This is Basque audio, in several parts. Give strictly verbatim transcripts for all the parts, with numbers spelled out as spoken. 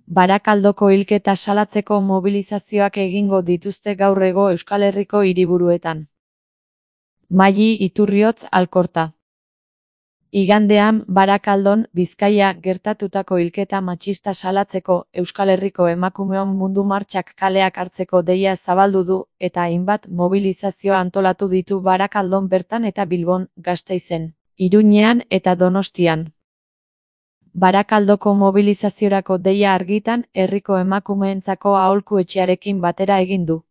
Barakaldoko hilketa salatzeko mobilizazioak egingo dituzte gaur ego Euskal Herriko hiriburuetan. Maili Iturriotz Alkorta. Igandean, Barakaldon, Bizkaia gertatutako hilketa matxista salatzeko Euskal Herriko emakumeon mundu martxak kaleak hartzeko deia zabaldu du eta hainbat mobilizazio antolatu ditu Barakaldon bertan eta Bilbon, Gasteizen, Iruñean eta Donostian. Barakaldoko mobilizaziorako deia argitan, herriko emakumeentzako aholku etxearekin batera egin du.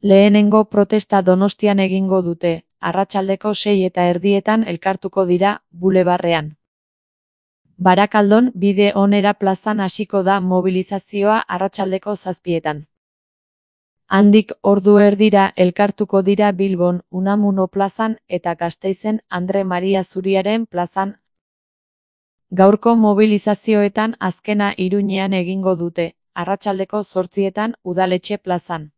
Lehenengo protesta Donostian egingo dute, arratsaldeko sei eta erdietan elkartuko dira, bulebarrean. Barakaldon bide onera plazan hasiko da mobilizazioa arratsaldeko zazpietan. Handik ordu erdira elkartuko dira Bilbon, Unamuno plazan eta Gasteizen Andre Maria Zuriaren plazan. Gaurko mobilizazioetan azkena Iruñean egingo dute, arratsaldeko zortzietan Udaletxe plazan.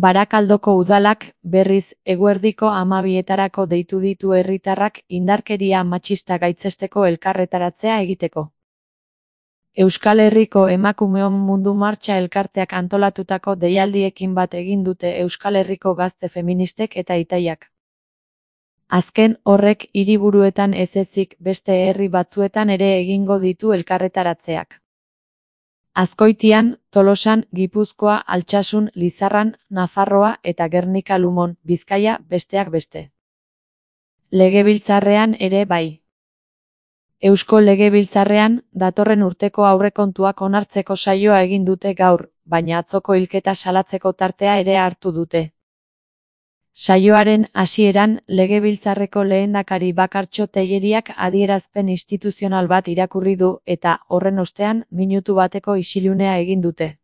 Barakaldoko udalak, berriz, eguerdiko hamabietarako deitu ditu herritarrak indarkeria matxista gaitzesteko elkarretaratzea egiteko. Euskal Herriko emakumeon mundu martxa elkarteak antolatutako deialdiekin bat egin dute Euskal Herriko gazte feministek eta itaiak. Azken horrek hiriburuetan ez ezik beste herri batzuetan ere egingo ditu elkarretaratzeak. Azkoitian, Tolosan, Gipuzkoa, Altsasun, Lizarran, Nafarroa eta Gernika Lumon, Bizkaia besteak beste. Legebiltzarrean ere bai. Eusko Legebiltzarrean, datorren urteko aurrekontuak onartzeko saioa egin dute gaur, baina atzoko hilketa salatzeko tartea ere hartu dute. Saioaren hasieran, Legebiltzarreko lehendakari Bakartxo Telleriak adierazpen instituzional bat irakurri du eta, horren ostean, minutu bateko isilunea egin dute.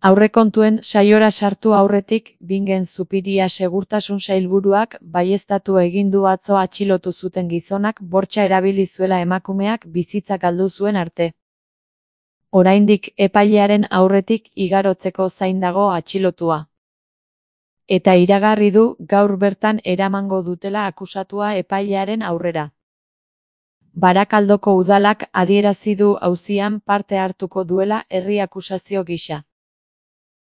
Aurrekontuen saiora sartu aurretik, Bingen Zupiria segurtasun sailburuak baieztatu egin du atzo atxilotu zuten gizonak bortxa erabili zuela emakumeak bizitza galdu zuen arte. Oraindik epailearen aurretik igarotzeko zain dago atxilotua. Eta iragarri du gaur bertan eramango dutela akusatua epailearen aurrera. Barakaldoko udalak adierazi du auzian parte hartuko duela herri akusazio gisa.